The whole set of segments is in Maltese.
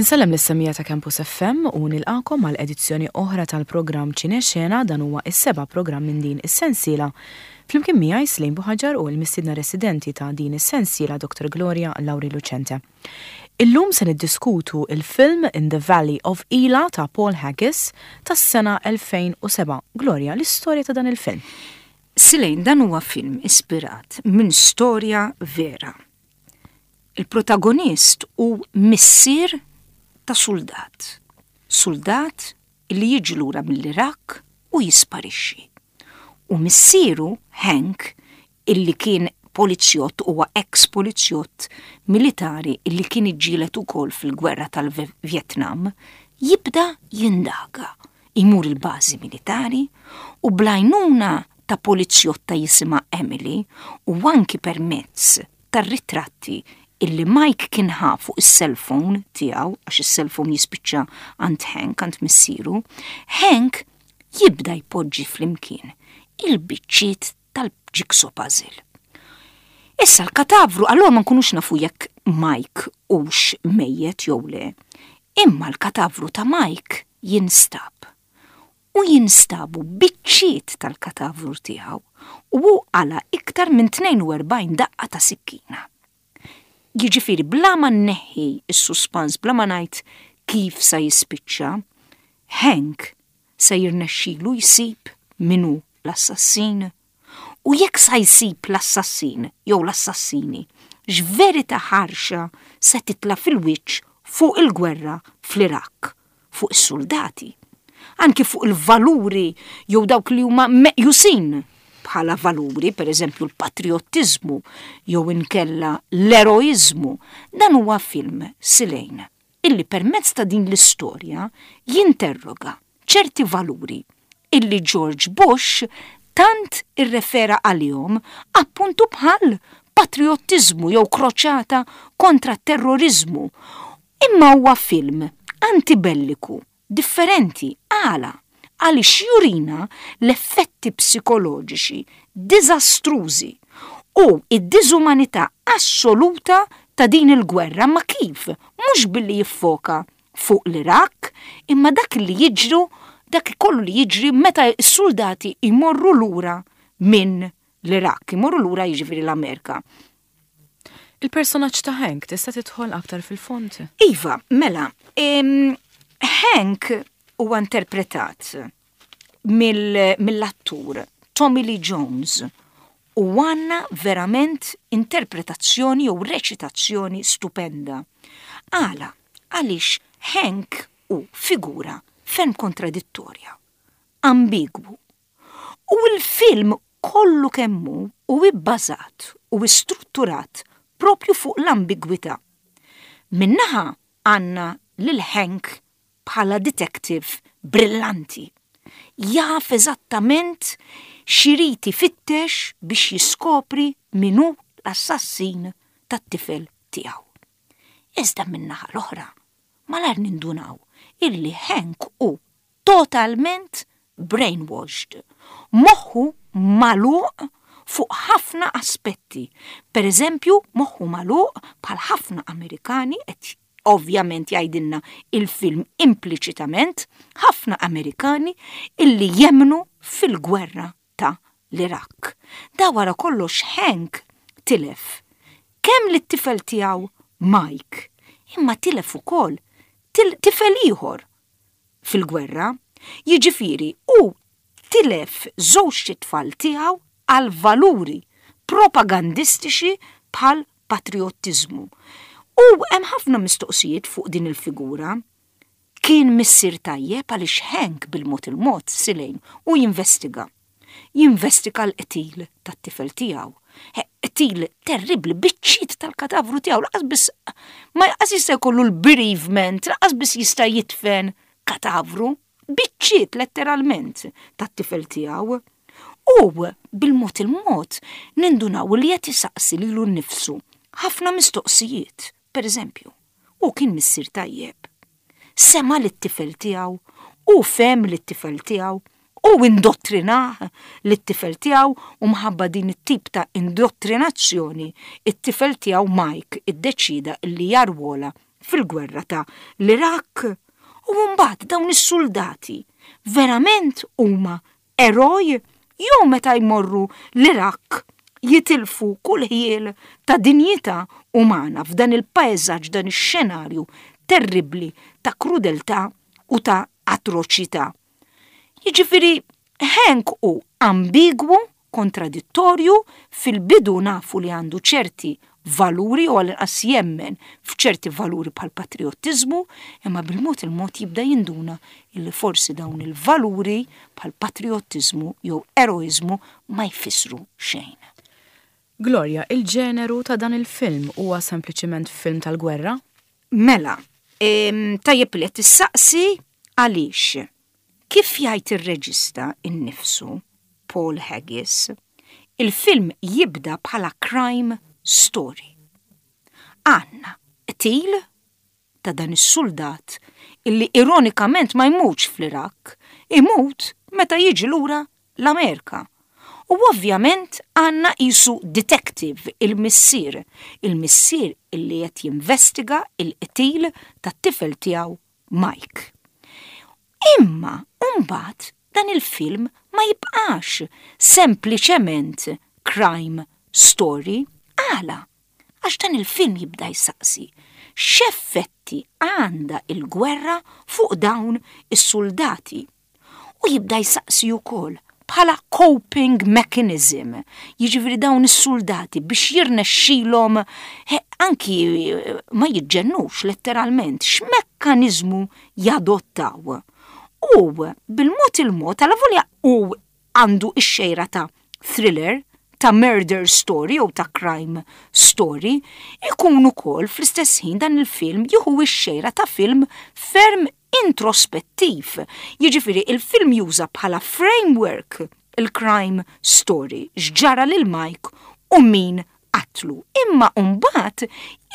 Insellem lis-semmiegħa ta' Campus FM u nilqagħkom għal edizzjoni oħra tal-programm Ċine Xena, dan huwa s-seba' programm minn din is-sensiela. Flimkien miegħi Slejn Buħaġar u l-mistiedna residenti ta' din is-sensiela Dr. Gloria Lauri Lucente. Illum se niddiskutu il-film In the Valley of Elah ta' Paul Haggis tas-sena 2007. Gloria, l-istorja ta' dan il-film. Silejn, dan huwa film ispirat minn storja vera. Il-protagonist hu missier ta' suldat. Suldat li jiġi lura mill-Iraq u jisparixxi. U missieru, Hank, illi kien polizjott, huwa ex polizjott militari illi kien iġġieled ukoll fil-gwerra tal-Vjetnam, jibda jindaga, imur il-bażi militari u bl-għajnuna ta' polizjotta jisimha Emily u anki permezz tar-ritratti illi Mike kien ħa fuq is-cellphone tiegħu, għax is-cellphone jispiċċa għand Hank, għand missieru, Hank jibda jpoġġi flimkien il-biċċiet tal-jigsaw puzzle. Issa l-katavru, allura ma nkunux nafu jekk Mike hux mejjet jew le, imma l-katavru ta' Mike jinstab. U jinstabu biċċiet tal-katavru tiegħu u hu qala iktar minn 42 daqqa ta' sikkina. Jiġifieri bla ma nneħħi s-suspans, bla ma ngħid kif sa jispiċċa, Hank se jirnexxilu jsib min hu l-assassin? U jekk sa jsib l-assassin jew l-assassini, x'verità ħarxa se titla' fil-wiċċ fuq il-gwerra fl-Iraq, fuq is-suldati, anki fuq il-valuri jew dawk li huma meqjusin bħala valuri, per eżempju l-patrijottiżmu jew inkella l-eroiżmu. Dan huwa film, Silejn, illi permezz ta' din l-istorja jinterroga ċerti valuri illi George Bush tant irrefera għalihom appuntu bħal patrijottiżmu jew kroċata kontra t-terroriżmu. Imma huwa film antibelliku differenti. Għala? Għaliex jurina l-effetti psikoloġiċi diżastrużi u d-diżumanità assoluta ta' din il-gwerra ma kif? Mhux billi jiffoka fuq l-Iraq, imma dak li jiġru, dak kollu li jiġri meta s-suldati jmorru lura minn l-Iraq, imorru lura jiġifieri l-Amerika. Il-personaġġ ta' Hank tista' tidħol aktar fil-fond? Iva, mela, Hank huwa interpretat mill-attur Tommy Lee Jones u għandna verament interpretazzjoni jew reċitazzjoni stupenda. Għala, għaliex Hank hu figura ferm kontradittorja, ambigwu. U l-film kollu kemm hu hu ibbażat u strutturat propju fuq l-ambigwità. Minn naħa għandna lil Hank bħala detective brillanti. Jaf eżattament x'irid ifittex biex jiskopri min hu l-assassin tat-tifel tiegħu. Iżda min-naħa l-oħra, malajr nindunaw illi Hank hu totalment brainwashed. Moħħu magħluq fuq ħafna aspetti. Per eżempju, moħħu magħluq bħal ħafna Amerikani qed ovvjament jgħidilna il-film impliċitament, ħafna Amerikani illi jemmnu fil-gwerra ta' l-Iraq. Da wara kollox Hank tilef kemm lit-tifel tiegħu Mike, imma tilef ukoll tifel ieħor fil-gwerra, jiġifieri hu tilef żewġt itfal tiegħu għal valuri propagandistiċi bħal patrijottiżmu. U hemm ħafna mistoqsijiet fuq din il-figura. Kien missier tajjeb għaliex Hank bil-mod il-mod Silejn u jinvestiga. Jinvestiga l-qtil tat-tifel tiegħu. Qtil terribbli, biċċiet tal-katavru tiegħu, laqas biss ma laqas jista' jkollu l-bereavement, laqas biss jista' jidfen katavru, biċċiet letteralment tat-tifel tiegħu. U bil-mod il-mod nindunaw li qed isaqsi lilu nnifsu ħafna mistoqsijiet. Per eżempju, hu kien missier tajjeb. Sema' lit-tifel tiegħu, hu fehem lit-tifel tiegħu, hu indottrinah lit-tifel tiegħu u mħabba din it-tip ta' indottrinazzjoni it-tifel tiegħu Mike iddeċieda li jarwola fil-gwerra ta' l-Iraq? U mbagħad dawn is-suldati verament huma eroj jew meta jmorru l-Iraq jitilfu kull ħjiel ta' dinjità umana f'dan il-paesaġġ, dan ix-xenarju terribbli ta' krudeltà u ta' atroċità. Jiġifieri Hank hu ambigwu, kontradittorju, fil-bidu nafu li għandu ċerti valuri jew għall-inqas jemmen f'ċerti valuri bħall-patrijottiżmu, imma bil-mod il-mod jibda jinduna illi forsi dawn il-valuri bħall-patrijottiżmu jew eroiżmu ma jfissru xejn. Gloria, il-ġeneru ta' dan il-film huwa sempliċiment film tal-gwerra? Mela, tajjeb li qed tissaqsi għaliex. Kif jgħid ir-reġista innifsu, Paul Haggis, il-film jibda bħala crime story. Għandna qtil ta' dan is-suldat illi ironikament ma jmutx fl-Iraq, imut meta jiġi lura l-Amerika. U ovvjament għandna qisu detective, il-missier, il-missier illi qed jinvestiga l-qtil tat-tifel tiegħu Mike. Imma mbagħad dan il-film ma jibqax sempliċement crime story. Għala? Għax dan il-film jibda jsaqsi x'effetti għandha l-gwerra fuq dawn is-suldati. U jibda jsaqsi wkoll bħala coping mechanism, jiġifieri dawn is-suldati biex jirnexxilhom anki ma jiġġennux letteralment, x'mekkaniżmu jadottaw. U bil-mod il-mod, alavolja hu għandu x-xejra ta' thriller, ta' murder story jew ta' crime story, ikun ukoll fl-istess ħin dan il-film jieħu x-xejra ta' film ferm introspettiv, jiġifieri il-film juża bħala framework il-crime story, x'ġara lil Mike u min qatlu. Imma mbagħad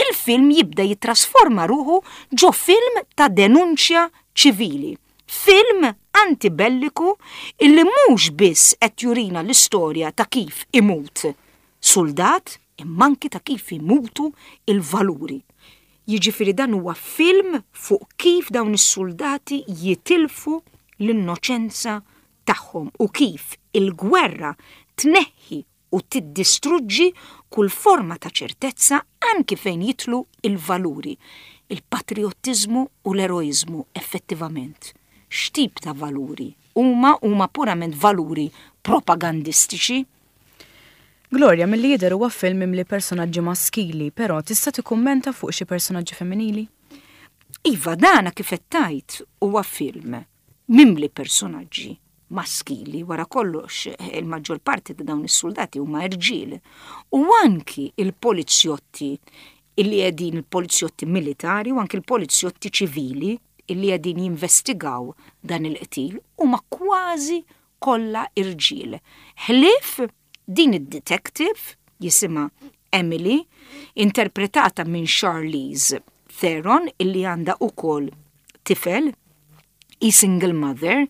il-film jibda jittrasforma ruħu ġo film ta' denunċja ċivili. Film antibelliku illi mhux biss qed jurina l-istorja ta' kif imut suldat imma anki ta' kif imutu l-valuri. Jiġifieri dan huwa film fuq kif dawn is-suldati jitilfu l-innoċenza tagħhom u kif il-gwerra tneħħi u tiddistruġġi kull forma ta' ċertezza anki fejn jidħlu l-valuri, il-patrijottiżmu u l-eroiżmu effettivament. X'tip ta' valuri huma? Huma purament valuri propagandistiċi? Gloria, milli jidher huwa film mimli personaġġi maskili, però tista' tikkummenta fuq xi personaġġi femminili? Iva, dana kif qed tgħid huwa film mimli personaġġi maskili, wara kollox il-maġġor parti ta' dawn is-suldati huma irġiel. U anki il-polizjotti illi qegħdin il-polizjotti militari u anki l-polizjotti ċivili illi qegħdin jinvestigaw dan il-qtil huma kważi kollha irġiel. Ħlief din id-detective jisimha Emily, interpretata minn Charlize Theron illi għandha ukoll tifel, hi single mother,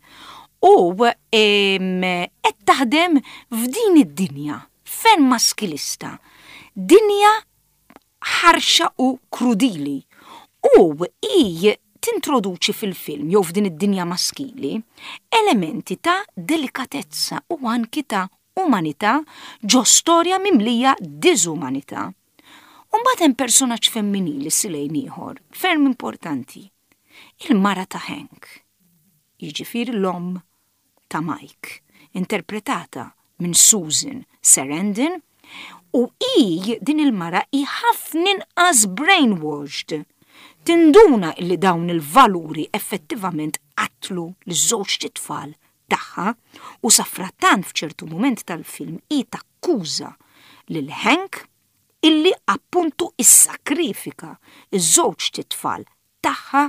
u qed taħdem f'din id-dinja ferm maskilista, dinja ħarxa u krudili u hi tintroduċi fil-film jew f'din id-dinja maskili elementi ta' delikatezza u anki ta' umanità ġo storja mimlija diżumanità. U mbagħad hemm personaġġ femminili silejn ieħor ferm importanti, il-mara ta' Hank, jiġifieri l-omm ta' Mike, interpretata minn Susan Sarandon, u hi, din il-mara, hi ħafna inqas brainwashed. Tinduna illi dawn il-valuri effettivament qatlu liż-żewġt itfal tagħha u safrattant f'ċertu mument tal-film hi takkuża lil Hank illi appuntu issakrifika ż-żewġt itfal tagħha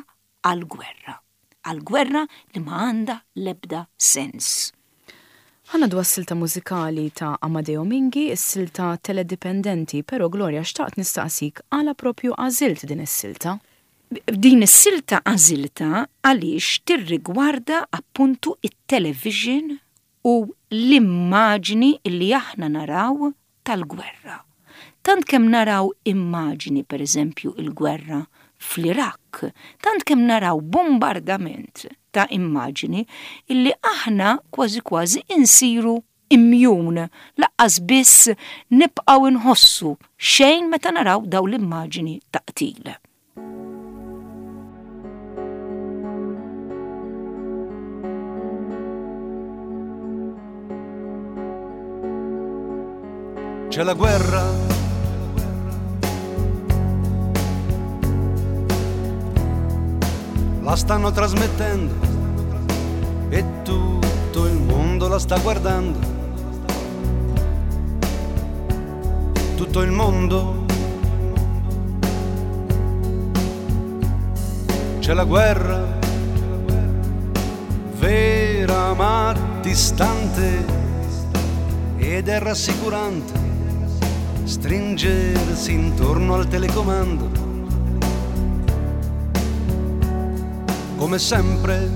għall-gwerra. Għall-gwerra li ma għandha l-ebda sens. Ħa ngħaddu għas-silta mużikali ta' Amadeo Minghi, is-silta Teledipendenti, però Gloria xtaqt nistaqsik għala propju għażilt din is-silta? Din is-silta għażiltha għaliex tirrigwarda appuntu t-television u l-immaġni li aħna naraw tal-gwerra. Tant kemm naraw immaġni, per eżempju, il-gwerra fl-Iraq, tant kemm naraw bombardament ta' immaġini illi aħna kważi kważi insiru immune, laqqas biss nibqgħu nħossu xejn meta naraw dawn l-immaġini ta' qtil. C'è la guerra. La stanno trasmettendo e tutto il mondo la sta guardando. Tutto il mondo. C'è la guerra, vera ma distante ed è rassicurante stringersi intorno al telecomando. Come sempre.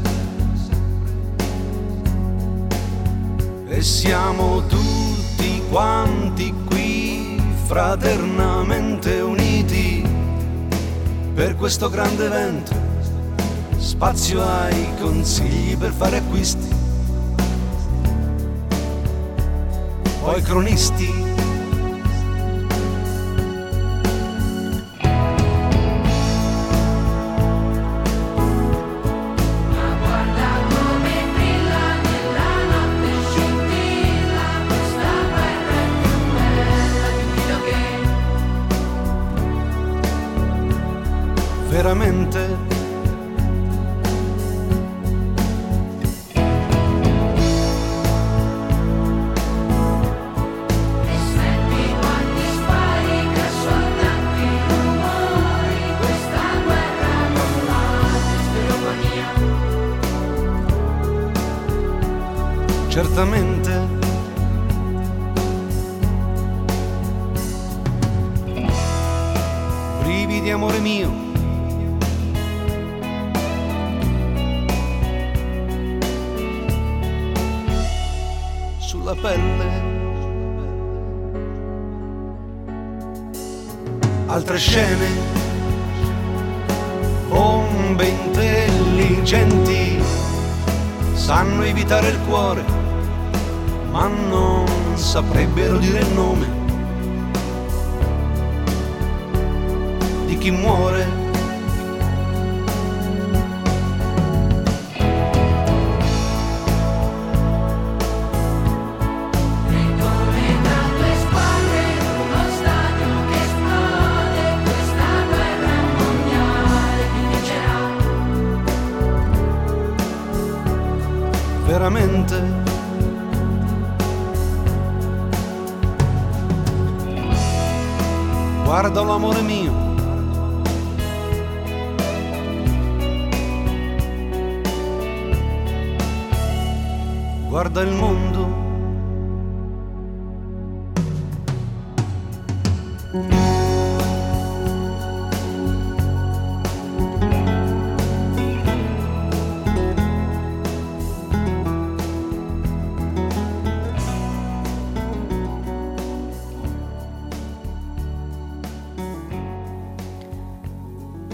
E siamo tutti quanti qui fraternamente uniti per questo grande evento. Spazio ai consigli per fare acquisti. Poi cronisti. Veramente. E senti quanti spari che sono tanti rumori, questa guerra non va in stereofonia. Certamente. Brividi amore mio. Sulla pelle. Altre scene, bombe intelligenti, sanno evitare il cuore, ma non saprebbero dire il nome di chi muore. Veramente. Guarda l'amore mio. Guarda il mondo.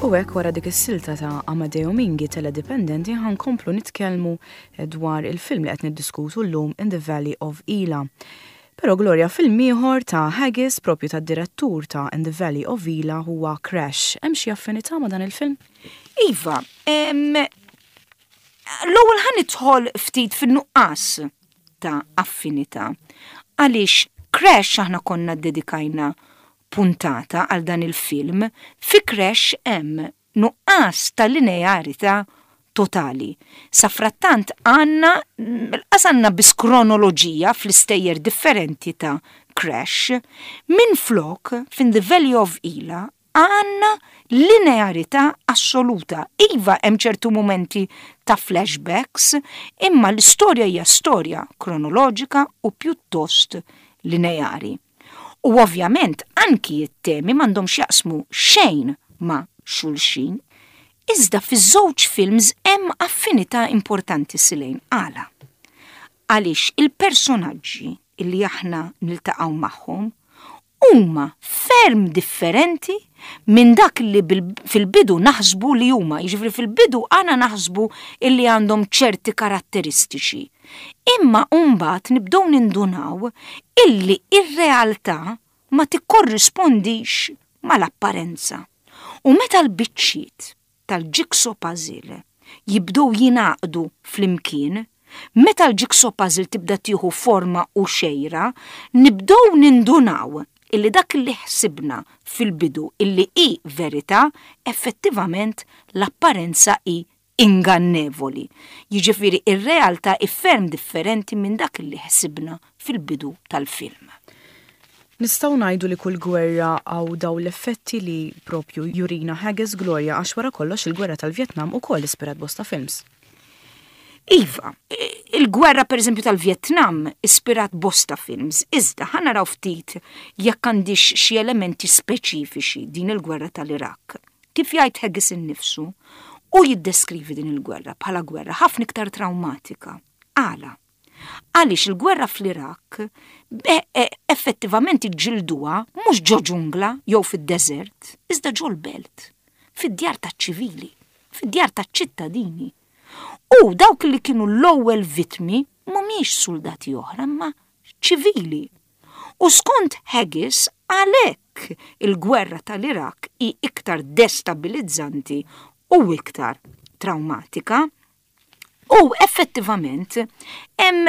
U hekk wara dik is-silta ta' Amadeo Minghi Teledipendenti ħa nkomplu nitkellmu dwar il-film li qed niddiskutu llum In the Valley of Elah. Però Gloria film ieħor ta' Haggis propju tad-direttur ta' In the Valley of Elah huwa Crash. Hemm xi affinità ma' dan il-film? Iva, l-ewwel ħa nidħol ftit fin-nuqqas ta' affinità. Għaliex Crash aħna konna ddedikajna puntata għal dan il-film, fi Crash hemm nuqqas ta' linearità totali. Safrattant għandna, lanqas għandna biss kronoloġija fl-istejjer differenti ta' Crash, minflok f'In the Valley of Elah għandna linearità assoluta. Iva hemm ċertu mumenti ta' flashbacks, imma l-istorja hija storja kronoloġika u pjuttost lineari. U ovvjament anki t-temi m'għandhomx jaqsmu xejn ma' xulxin. Iżda fiż-żewġ films hemm affinità importanti Silejn. Għala? Għaliex il-personaġġi li aħna niltaqgħu magħhom huma ferm differenti minn dak li fil-bidu naħsbu li huma. Jiġifieri fil-bidu aħna naħsbu illi għandhom ċerti karatteristiċi. Imma mbagħad nibdew nindunaw illi ir-realtà ma tikkorrispondix mal-apparenza. U meta l-biċċiet tal-jigsaw puzzle jibdew jingħaqdu flimkien, meta l-jigsaw puzzle tibda tieħu forma u xejra, nibdew nindunaw illi dak li ħsibna fil-bidu illi hi verità, effettivament l-apparenza hi ingannevoli. Jiġifieri ir-realtà hi ferm differenti minn dak li ħsibna fil-bidu tal-film. Nistgħu ngħidu li kull gwerra hawn dawn l-effetti li propju jurina Haggis, Gloria, għax wara kollox il-gwerra tal-Vjetnam ukoll ispirat bosta films. Iva, il-gwerra per eżempju tal-Vjetnam ispirat bosta films, iżda ħa naraw ftit jekk għandix xi elementi speċifiċi din il-gwerra tal-Iraq. Kif jgħid Haggis innifsu, u jiddeskrivi din il-gwerra bħala gwerra ħafna iktar traumatika. Għala? Għaliex il-gwerra fl-Iraq effettivament iġġilduha mhux ġo ġungla jew fid-deżert, iżda ġo l-belt, fid-djar taċ-ċivili, fid-djar taċ-ċittadini. U dawk li kienu l-ewwel vittmi mhumiex soldati oħra, imma ċivili. U skont Haggis, għalhekk il-gwerra tal-Iraq hi iktar destabilizzanti u iktar traumatika. U effettivament hemm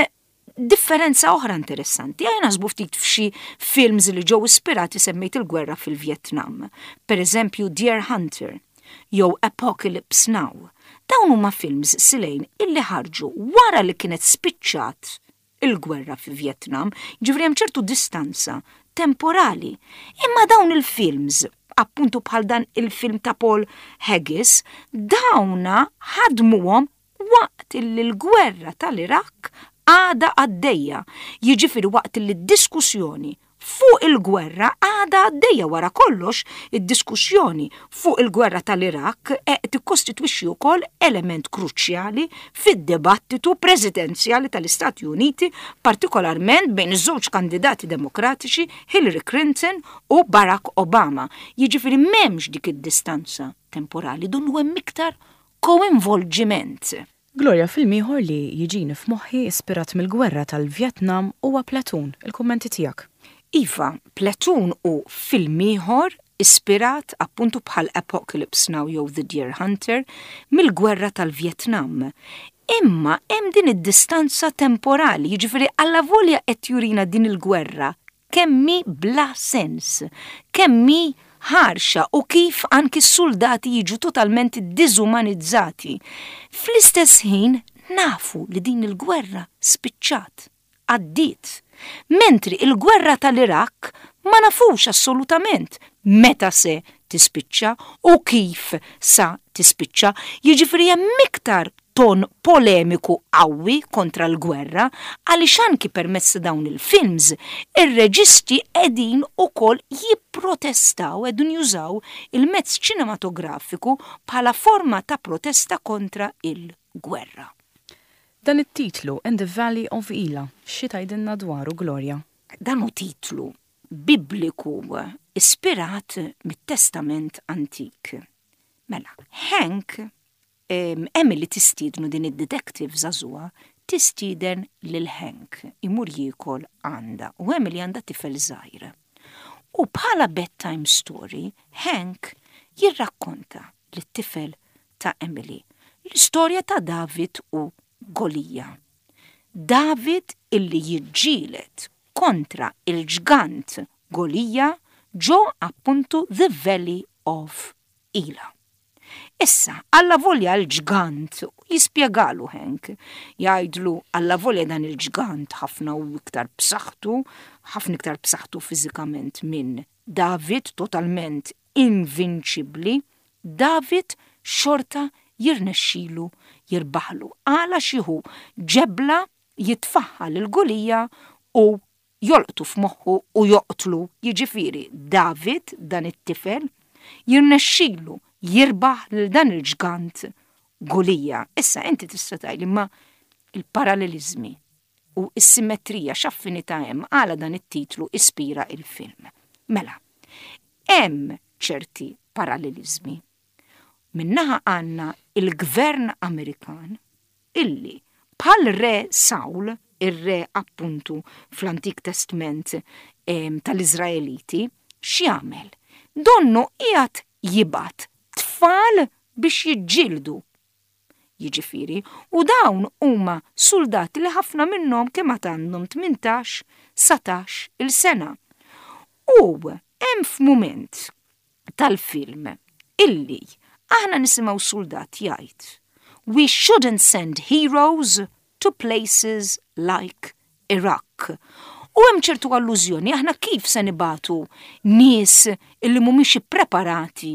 differenza oħra interessanti. Ejja naħsbu ftit f'xi films li ġew ispirati, semmejt il-gwerra fil-Vietnam. Per eżempju Deer Hunter jew Apocalypse Now. Dawn huma films silejn illi ħarġu wara li kienet spiċċat il-gwerra fi Vietnam, ġifieri hemm ċertu distanza temporali. Imma dawn il-films, appuntu bħal dan il-film ta' Paul Haggis, dawna ħadmuhom waqt illi l-gwerra tal-Iraq għada għaddejja. Jiġifieri waqt li d-diskussjoni fuq il-gwerra għada għaddejja. Wara kollox, id-diskussjoni fuq il-gwerra tal-Iraq tikkostitwixxi wkoll element kruċjali fid-dibattitu presidenzjali tal-Istati Uniti, partikolarment bejn iż-żewġ kandidati demokratiċi, Hillary Clinton u Barack Obama. Jiġifieri m'hemmx dik id-distanza temporali, donnu hemm iktar koinvolġiment. Gloria, film ieħor li jiġini f'moħħi ispirat mill-gwerra tal-Vietnam huwa Platoon. Il-kummenti tiegħek? Iva, Platoon hu film ieħor ispirat, appuntu bħal Apocalypse Now jew The Deer Hunter, mill-gwerra tal-Vietnam. Imma hemm din id-distanza temporali, jiġifieri allavolja qed jurina din il-gwerra kemm hi bla sens, kemm hi ħarxa u kif anki s-soldati jiġu totalment diżumanizzati. Fl-istess ħin nafu li din il-gwerra spiċċat, għaddiet. Mentri il-gwerra tal-Iraq ma nafux assolutament meta se tispiċċa u kif sa tispiċċa. Jiġifieri hemm iktar ton polemiku qawwi kontra l-gwerra, għaliex anki permezz ta' dawn il-films ir-reġisti qegħdin ukoll jipprotestaw, qegħdin jużaw il-mezz ċinematografiku bħala forma ta' protesta kontra il-gwerra. Dan it-titlu, In the Valley of Elah, xi tgħidilna dwaru, Gloria? Dan hu titlu bibliku ispirat mit-Testament Antik. Mela, Hank, Emily tistiednu, din id-detective żagħżugħa, tistieden lil Hank imur jiekol għandha, u Emily għandha tifel żgħir. U bħala bedtime story, Hank jirrakkonta lit-tifel ta' Emily l-istorja ta' David u Golija. David illi jiġġieled kontra il-ġgant Golija ġo appuntu The Valley of Elah. Issa, allavolja l-ġgant, jispjegalu Hank, jgħidlu allavolja dan il-ġgant ħafna u iktar b'saħħtu, ħafna iktar b'saħħtu fiżikament minn David, totalment invinċibbli, David xorta jirnexxilu jirbaħlu. Għala xieħu ġebla jitfaħħa lil Gulija u jolqtu f'moħħu u joqtlu. Jiġifieri David, dan it-tifel, jirnexxilu jirbaħ lil dan il-ġgant Gulija. Issa inti tista' tgħidli, ma il-parallelizmi u s-simmetrija, x'affinità hemm, għala dan it-titlu ispira il-film? Mela, hemm ċerti paralleliżmi. Minn naħa għandna il-gvern Amerikan illi bħal re Sawl, ir-re appuntu fl-Antik Testment tal-Iżraeliti, x'jagħmel? Donnu qiegħed jibgħat tfal biex jiġġieldu. Jiġifieri, u dawn huma suldati li ħafna minnhom kemm għad għandhom 18, 19 il sena. U hemm f'mument tal-film illi aħna nisimgħu suldat jgħid We shouldn't send heroes to places like Iraq. U hemm ċertu allużjoni aħna kif se nibagħtu nies illi mhumiex ippreparati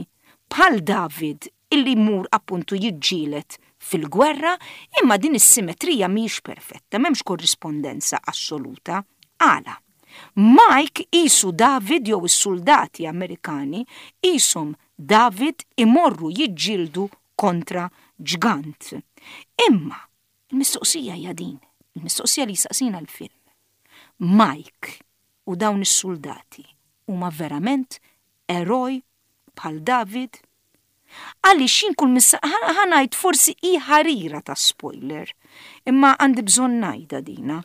bħal David illi jmur appuntu jiġġieled fil-gwerra, imma din is-simetrija mhijiex perfetta, m'hemmx korrispondenza assoluta. Għala? Mike qisu David jew is-suldati Amerikani qishom David imorru jiġġieldu kontra ġgant. Imma il-mistoqsija hija din, il-mistoqsija li jsaqsina l-film. Mike u dawn is-suldati huma verament eroj bħal David? Għaliex jien kull missa ħa ngħid forsi hi ħarira ta' spoiler, imma għandi bżonn ngħidha dina.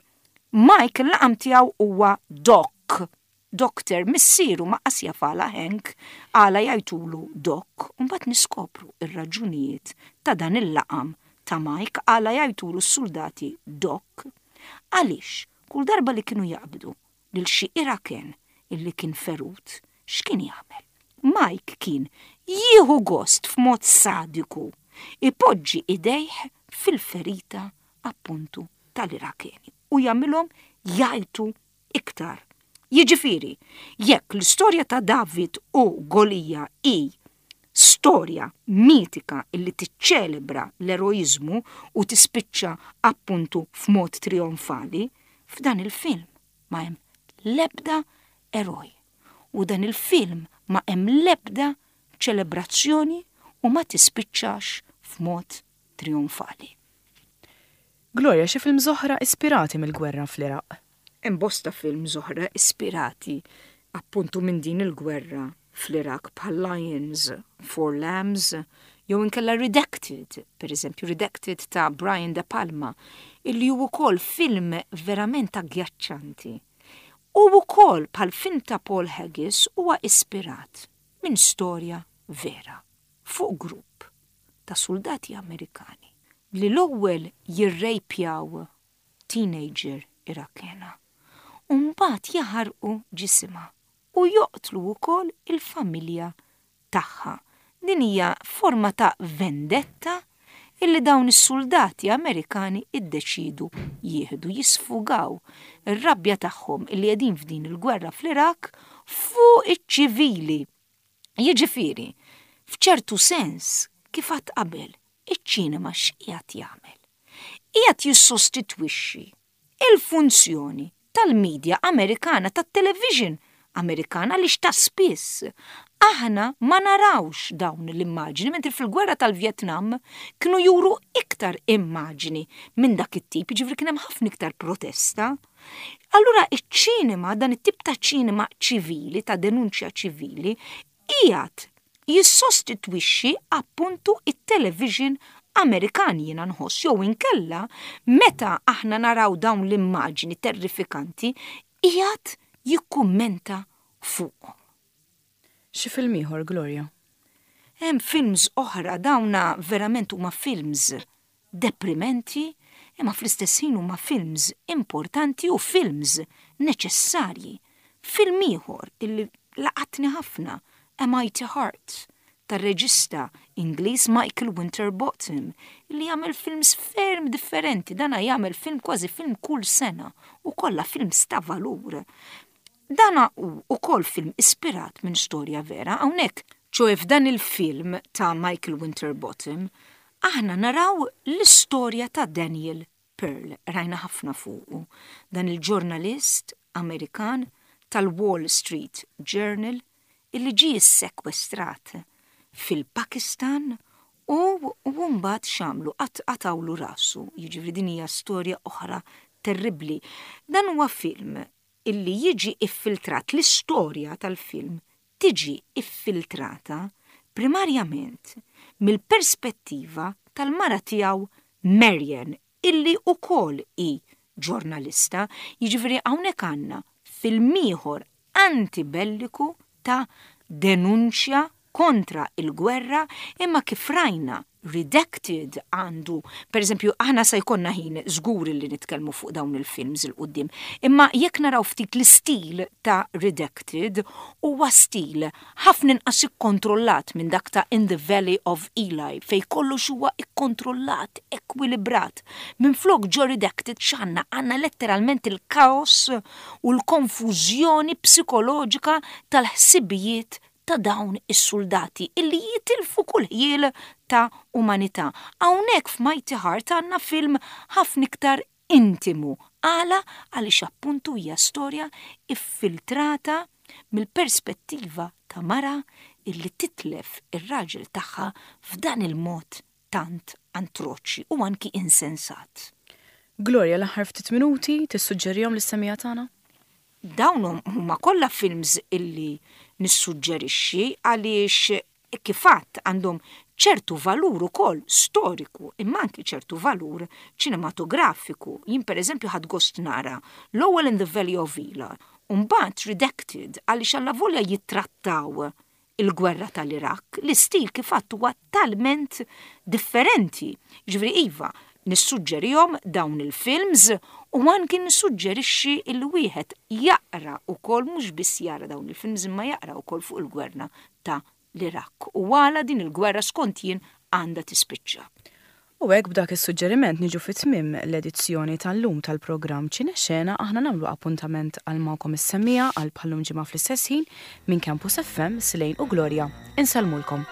Mike il-laqam tiegħu huwa Doc. Doctor, missieru ma qas jaf għala Hank għala jgħajtulu Doc, u mbagħad niskopru r-raġunijiet ta' dan il-laqam ta' Mike għala jgħajtulu s-suldati Doc. Għaliex kull darba li kienu jaqbdu lil xi Iraken illi kien ferut, x'kien jagħmel? Mike kien jieħu gost f'mod sadiku jpoġġi idejh fil-ferita appuntu tal-Irakeni u jagħmilhom jgħajtu iktar. Jiġifieri, jekk l-istorja ta' David u Golija hi storja mitika illi tiċċelebra l-eroiżmu u tispiċċa appuntu f'mod trijonfali, f'dan il-film ma hemm l-ebda eroj u dan il-film ma hemm l-ebda ċelebrazzjoni u ma tispiċċax f'mod trijonfali. Gloria, xi films oħra ispirati mill-gwerra fl-Iraq? Hemm bosta films oħra ispirati appuntu minn din il-gwerra fl-Iraq bħal Lions for Lambs jew inkella Redacted, per eżempju Redacted ta' Brian De Palma, illi hu wkoll film verament aggjaċċanti. U wkoll bħal film ta' Paul Haggis huwa ispirat minn storja vera fuq grupp ta' suldati Amerikani li l-ewwel jirrejpjaw teenager Irakena u mbagħad jaħarqu ġisimha u joqtlu wkoll il-familja tagħha. Din hija forma ta' vendetta illi dawn is-suldati Amerikani iddeċiedu jieħdu, jisfugaw ir-rabja tagħhom illi qegħdin f'din il-gwerra fl-Iraq fuq iċ-ċivili. Jiġifieri, f'ċertu sens, kif għadt qabel, iċ-ċinema x'qiegħed jagħmel? Qiegħed jissostitwixxi il-funzjoni tal-media Amerikana, tat-television Amerikan għaliex ta' spiss aħna ma narawx dawn l-immaġini, mentri fil-gwerra tal-Vjetnam kienu juru iktar immaġini minn dak it-tip, jiġifieri kien hemm ħafna iktar protesta. Allura iċ-ċinema, dan it-tip ta' ċinema ċivili, ta' denunċja ċivili, qiegħed jissostitwixxi appuntu it-television Amerikan jiena nħoss jew inkella meta aħna naraw dawn l-immaġni terrifikanti qiegħed jikkummenta fuqhom. Xi film ieħor, Gloria? Hemm films oħra, dawna verament huma films deprimenti imma fl-istess ħin huma films importanti u films neċessarji. Film ieħor illi laqatni ħafna, A Mighty Heart, tar-reġista Ingliż Michael Winterbottom, illi jagħmel films ferm differenti, dana jagħmel film kważi film kull sena u kollha films ta' valur. Dana hu ukoll film ispirat minn storja vera, hawnhekk, ċoe f'dan il-film ta' Michael Winterbottom, aħna naraw l-istorja ta' Daniel Pearl, rajna ħafna fuqu, dan il-ġurnalist Amerikan tal-Wall Street Journal illi ġie ssekwestrat fil-Pakistan u u mbagħad x'għamlu? Qatgħulu rasu, jiġifieri din hija storja oħra terribbli. Dan huwa film. illi jiġi iffiltrat l-istorja tal-film tiġi iffiltrata primarjament mill-perspettiva tal-mara tiegħu Marian illi wkoll hi ġurnalista, jiġifieri hawnhekk għandna film ieħor antibelliku ta' denunċja kontra l-gwerra imma kif rajna Redacted għandu, per eżempju, aħna sa jkollna ħin żgur li nitkellmu fuq dawn il-films 'il quddiem, imma jekk naraw ftit l-istil ta' Redacted huwa stil ħafna inqas ikkontrollat minn dak ta' In the Valley of Eli fejn kollox huwa ikkontrollat, ekwilibrat. Minflok ġo Redacted x'għandna? Għandna letteralment il-kaos u l-konfużjoni psikoloġika tal-ħsibijiet ta' dawn is-suldati illi jitilfu kull ħjiel ta' umanità. Hawnhekk f'Mighty Heart għandna film ħafna iktar intimu. Għala? Għaliex appuntu hija storja iffiltrata mill-perspettiva ta' mara illi titlef ir-raġel tagħha f'dan il-mod tant antroċi u anki insensat. Gloria, l-aħħar ftit minuti tissuġġerihom lis-semmiegħa tagħna? Dawn huma kollha films illi nissuġġerixxi għaliex kif għedt għandhom ċertu valur ukoll storiku imma anki ċertu valur ċinematografiku. Jien pereżempju ħadt gost nara l-ewwel In the Valley of Elah u mbagħad Redacted għaliex allavolja jittrattaw il-gwerra tal-Iraq, l-istil kif għedt huwa talment differenti. Jiġifieri iva, nissuġġerihom dawn il-films u anki nissuġġerixxi li wieħed jaqra wkoll mhux biss jara dawn il-films imma jaqra wkoll fuq il-gwerra ta' l-Iraq u għala din il-gwerra skont jien għandha tispiċċa. U hekk b'dak is-suġġeriment niġu fi tmiem l-edizzjoni tal-lum tal-programm Ċinexena aħna nagħmlu appuntament għal magħkom is-semmiegħa għal bħal-lum ġimgħa fl-istess ħin minn Campus FM, Slane u Gloria. Insellmulkom.